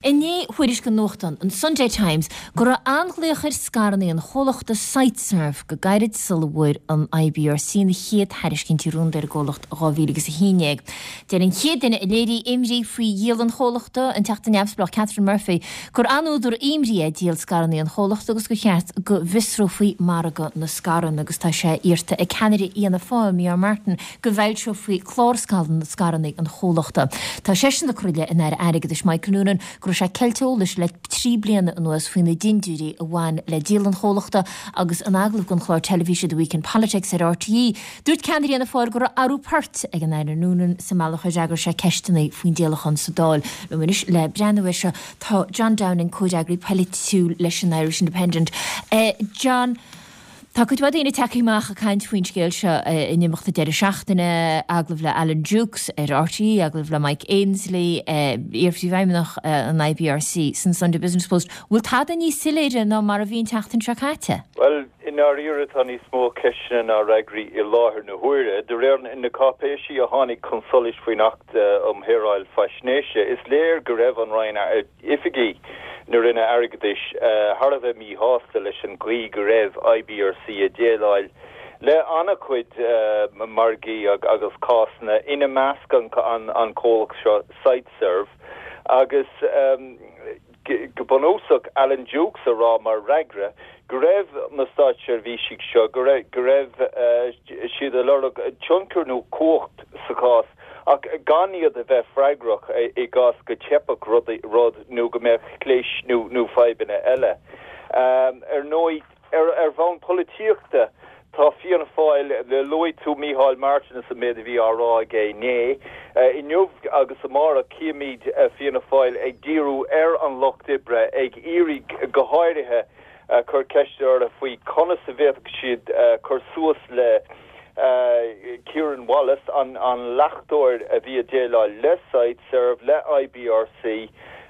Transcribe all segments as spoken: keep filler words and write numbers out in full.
Inné thuairiscigh an nuachtán, an Sunday Times, go raibh an-ghlaoch ar scaireanna an chomhlachta Siteserv go gairid sula bhfuair an I B R C na chéad thairiscintí rúnda ar an gcomhlacht dhá mhíle agus a haon déag. Deir an chéad duine a léirigh imní faoi dhíol an chomhlachta, an Teachta Neamhspleách Catherine Murphy, gur an-údar imní é díol scaireanna an chomhlachta agus gur cheart go bhfiosrófaí margadh na scaireanna agus tá sé iarrta ag ceannaire Fhianna Fáil, Micheál Martin, go bhfoilseofaí clár scaireanna an chomhlachta. Tá seisean ag cur i leith an Aire Airgeadais Michael Noonan go raibh sé ceilte eolais le trí bliana anuas faoi na dindiúirí a bhain le díol an chomhlachta agus in agallamh don chlár teilifíse The Week in Politics ar R T E. Dúirt ceannaire Fhianna Fáil go raibh athrú poirt ag an Aire Noonan sa mbealach a d'fhreagair sé ceisteanna faoin díolachán sa Dáil. Liom anois le breathnú air seo tá John Downing, comhfhreagraí polaitiúil leis an Irish Independent. Uh, John, tá cuid mhaith daoine tagtha amach ag caint faoin scéal seo in imeacht na deireadh seachtaine, agallamh le Alan Dukes ar R T E, agallamh le Mike Ainsley, iar-phríomhfheidhmeannach an I B R C san Sunday Business Post. Bhfuil tada níos soiléire ná mar a bhí an tseachtain seo caite? Well, i ndáiríre tá níos mó ceisteanna ná freagraí i láthair na huaire. De réir na cáipéisí a tháinig chun solais faoin Acht um Shaoráil Faisnéise, is léir go raibh an Roinn oifigigh na Roinne Airgeadais thar a bheith míshásta leis an gcaoi go raibh I B R C ag déileáil le an-chuid margaí agus cásanna, ina measc an, an, an comhlacht seo Siteserv agus um, go bunúsach Alan Dukes a rá mar fhreagra go raibh na státseirbhísigh seo go raibh uh, siad ag lorg tionchar nó cumhacht sa chás ach gan iad a bheith freagrach i gcás go dteipfeadh rud, rud nó go mbeadh clis nó nó fadhbanna eile. Um, ar ndóigh ar, ar bhonn polaitíochta tá Fianna Fáil le luaigh tú Micheál Martin is an méid a bhí á rá aige inné. Uh, inniu agus amárach címid uh, Fianna Fáil ag díriú ar an lucht oibre ag iarraidh go háirithe uh, cur ceist orthu faoi conas a bhféadfadh siad uh, cur suas le uh, Kieran Wallace an, an reachtaire a bhí ag déileáil le Siteserv le I B R C.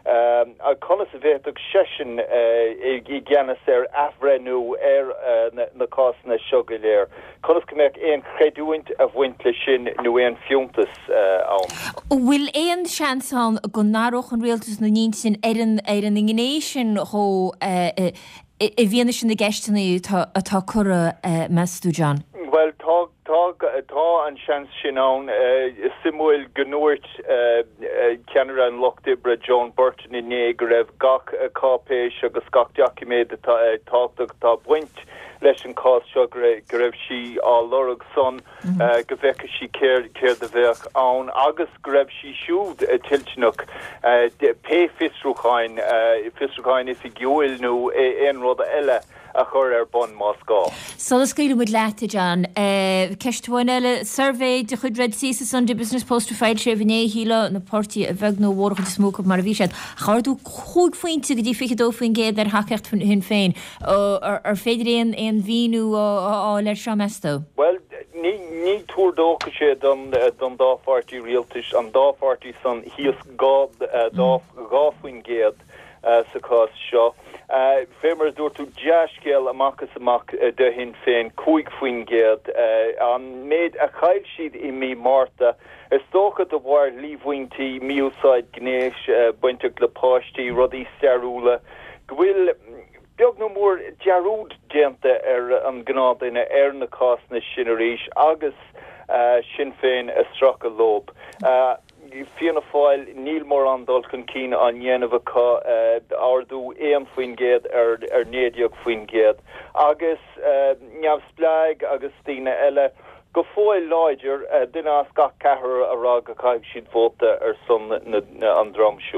Um, a conas a bhféadfadh seisean uh, i gceannas ar athbhreithniú ar uh, na, na cásanna seo go léir. Conas go mbeadh aon chreidiúint ag baint leis sin nó aon fiúntas uh, ann. Bhfuil aon seans ann go n-athródh an rialtas a n-intinn ar an ar an ngné sin chomh uh, i bhfianaise na gceisteanna atá curtha uh, meas tú, John? Well tá tá tá an seans sin ann. Is suimiúil go ndúirt ceannaire an Lucht Oibre Joan Burton inné go raibh gach cáipéis agus gach doiciméad tábhachtach atá ag baint leis an cás seo go raibh sí á lorg san mm -hmm. go bhfeicfeadh sí céard a bheadh ann agus go raibh sí siúd toilteanach pé fiosrúcháin fiosrúcháin oifigiúil nó aon rud eile a chur ar bun más gá. Sula scaoilimid leat, John, ceist amháin eile, suirbhé de chuid Red C sa Sunday Business Post foilsithe inné, shílfeá na páirtithe a bheag nó a mhór is mó mar a bhí siad. Ardú cúig phointe go dtí fiche dó faoin gcéad ar thacaíocht Shinn Féin ar féidir aon aon mhíniú a fháil air seo, meas tú? Well, ní ní tuar dóchais sé don don dá pháirtí rialtais, an dá pháirtí san thíos dhá dhá faoin gcéad sa chás seo. Uh, Fé mar dúirt tú, dea-scéal amach is amach uh, do Shinn Féin, cúig faoin gcéad uh, an méid a chaill siad i mí Márta. Is dócha de bharr líomhaintí mí-úsáid gnéis uh, bainteach le páistí, rudaí stairiúla, go bhfuil beag nó mór dearúd déanta ar an ngnáthdhuine ar na cásanna sin arís agus uh, Sinn Féin ag stracadh leo. Uh, Fianna Fáil, níl mórán dul chun cinn á dhéanamh acu, ardú aon faoin gcéad ar ar naoi déag faoin gcéad agus neamhspleáigh agus daoine eile go fóill láidir, duine as gach ceathrar a rá go gcaithfidh siad vóta ar son an dream siúd.